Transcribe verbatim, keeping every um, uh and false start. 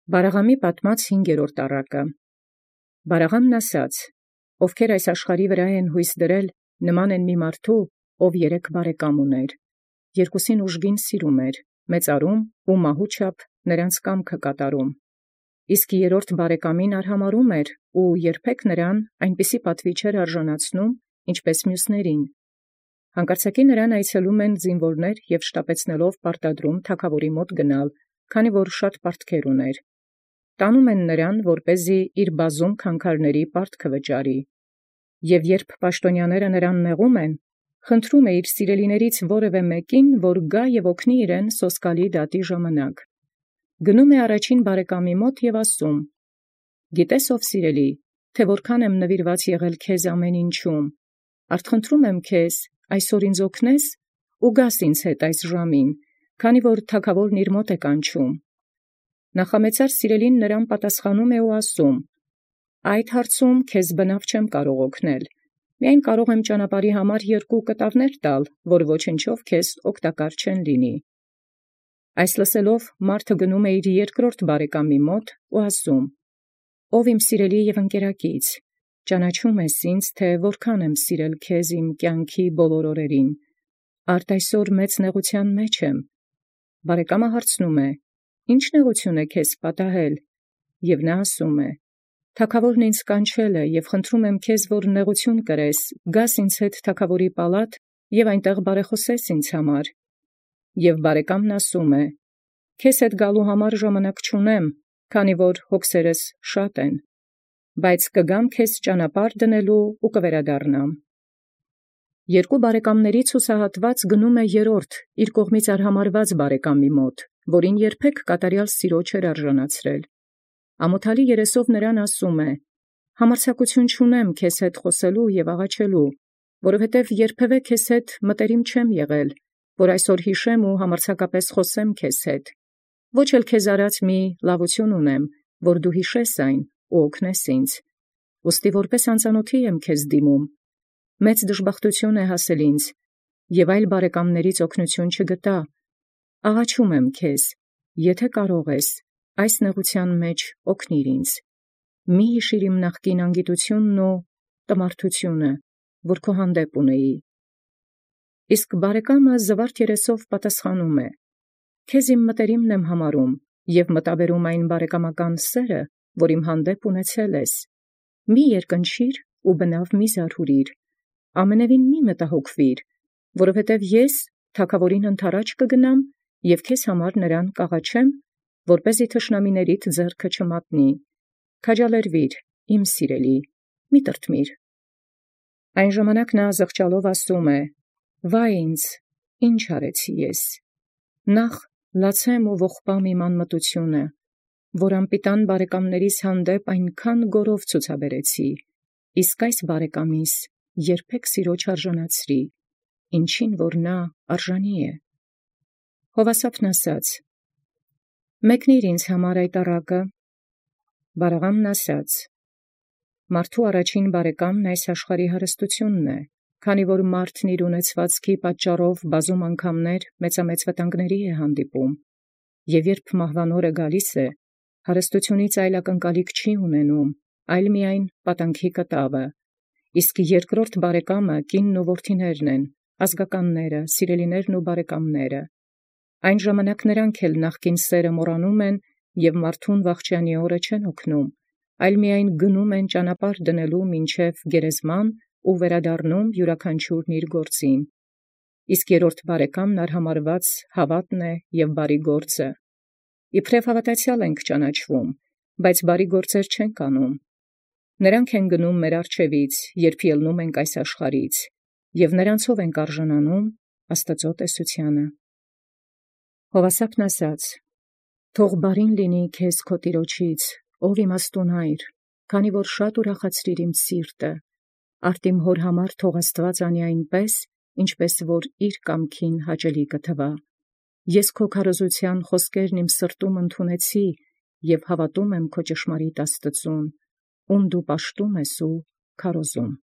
Բարաղամի պատմած հինգերորդ առակը։ Բարաղամն ասաց. ովքեր այս աշխարհի վրա են հույս դրել, նման են մի մարդու, ով երեք բարեկամ ուներ. երկուսին ուժգին սիրում էր, մեծարում ու մահու չափ նրանց կամքը կատարում. իսկ երրորդ բարեկամին արհամարհում էր ու երբեք նրան այնպիսի պատվի չէր արժանացնում, ինչպես մյուսներին. հանկարծակի նրան այցելում են զինվորներ և շտապեցնելով պարտադրում թագաւորի մոտ գնալ, քանի որ շատ պարտքեր ուներ. տանում են նրան, որպեսզի իր բազում քանքարների պարտքը վճարի. և երբ պաշտոնյաները նրան նեղում են, խնդրում է իր սիրելիներից որևէ մեկին, որ գա և օգնի իրեն սոսկալի դատի ժամանակ. գնում է առաջին բարեկամի մոտ և ասում. «Գիտես ով սիրելի, թե որքան եմ նվիրված եղել քեզ ամեն ինչում, արդ խնդրում եմ քեզ, այսօր ինձ օգնես ու գաս ինձ հետ այս ժամին, քանի որ թագաւորն իր մոտ է կանչում»։ Նախամեծար սիրելին նրան պատասխանում է ու ասում. «Այդ հարցում քեզ բնաւ չեմ կարող օգնել, միայն կարող եմ ճանապարհի համար երկու կտավներ տալ, որ ոչնչով քեզ օգտակար չեն լինի»։ Այս լսելով մարդը գնում է իր երկրորդ բարեկամի մոտ ու ասում. «Ով իմ սիրելի և ընկերակից, ճանաչում ես ինձ, թե որքան եմ սիրել քեզ իմ կյանքի բոլոր օրերին. արդ այսօր մեծ նեղութեան մեջ եմ»։ Բարեկամը հարցնում է. «Ի՞նչ նեղութիւն է քեզ պատահել»։ Եւ նա ասում է. «Թագաւորն ինձ կանչել է և խնդրում եմ քեզ, որ նեղութիւն կրես, գաս ինձ հետ թագաւորի պալատ և այնտեղ բարեխօսես ինձ համար»։ Եւ բարեկամն ասում է. «Քեզ հետ գալու համար ժամանակ չունեմ, քանի որ հոգսերս շատ են, բայց կգամ քեզ ճանապարհ դնելու ու կվերադառնամ»։ Երկու բարեկամաներից հուսահատված գնում է երրորդ իր կողմից արհամարհված բարեկամի մոտ, որին երբեք կատարեալ սիրո չէր արժանացրել. ամոթալի երեսով նրան ասում է. «Համարձակութիւն չունեմ քեզ հետ խոսելու և աղաչելու, որովհետև երբևէ քեզ հետ մտերիմ չեմ եղել, որ այսօր յիշեմ ու համարձակապէս խոսեմ քեզ հետ. ոչ էլ քեզ արած մի լաւութիւն ունեմ, որ դու յիշես այն ու օգնես ինձ. ուստի որպէս անծանոթի եմ քեզ դիմում. մեծ դժբախտութիւն է հասել ինձ, և այլ բարեկամաներից օգնութիւն չգտա. աղաչում եմ քեզ, եթէ կարող ես, այս նեղութեան մեջ օգնիր ինձ. մի յիշիր իմ նախկին անգիտութիւնն ու տմարդութիւնը, որ քո հանդեպ ունեի»։ Իսկ բարեկամը զվարթ երեսով պատասխանում է. «Քեզ իմ մտերիմն եմ համարում և մտաբերում այն բարեկամական սերը, որ իմ հանդեպ ունեցել ես. մի երկնչիր ու բնաւ մի զարհուրիր, ամենևին մի մտահոգվիր, որովհետև ես թագաւորին ընդառաջ կգնամ և քեզ համար նրան կաղաչեմ, որպեսզի թշնամիներիդ ձեռքը չմատնի. քաջալերվիր, իմ սիրելի, մի տրտմիր»։ Այն ժամանակ նա զղջալով ասում է. «Վայ ինձ, ի՛նչ արեցի ես. նախ լացեմ ու ողբամ իմ անմտութիւնը, որ անպիտան բարեկամաներիս հանդեպ այնքան գորով ցուցաբերեցի, իսկ այս բարեկամիս երբեք սիրո չարժանացրի, ինչին որ նա արժանի է»։ Յովասապն ասաց. «Մեկնիր ինձ համար այդ առակը»։ Բարաղամն ասաց. «Մարդու առաջին բարեկամն այս աշխարհի հարստութիւնն է, քանի որ մարդն իր ունեցվածքի պատճառով բազում անգամներ մեծամեծ վտանգների է հանդիպում, և երբ մահվան օրը գալիս է, հարստութիւնից այլ ակնկալիք չի ունենում, այլ միայն պատանքի կտավը, իսկ երկրորդ բարեկամը կինն ու որդիներն են, ազգականները, սիրելիներն ու բարեկամները. այն ժամանակ նրանք էլ նախկին սերը մոռանում են և մարդուն վախճանի օրը չեն օգնում, այլ միայն գնում են ճանապարհ դնելու մինչև գերեզման ու վերադառնում յուրաքանչյուրն իր գործին. իսկ երրորդ բարեկամն արհամարհված հաւատն է և բարի գործը. իբրև հաւատացեալ ենք ճանաչվում, բայց բարի գործեր չենք անում. նրանք են գնում մեր առջևից, երբ ելնում ենք այս աշխարհից, և նրանցով ենք արժանանում Աստուծոյ տեսութեանը։ Յովասապն ասաց. «Թող բարին լինի քեզ քո տիրոջից, ով իմաստուն Հայր, քանի որ շատ ուրախացրիր իմ սիրտը. արդ իմ հոր համար թող Աստուած անի այնպէս, ինչպէս որ իր կամքին հաճելի կթվայ. ես քո քարոզութեան խօսքերն իմ սրտում ընդունեցի և հաւատում եմ քո ճշմարիտ Աստուծուն, ում դու պաշտում ես ու քարոզում»։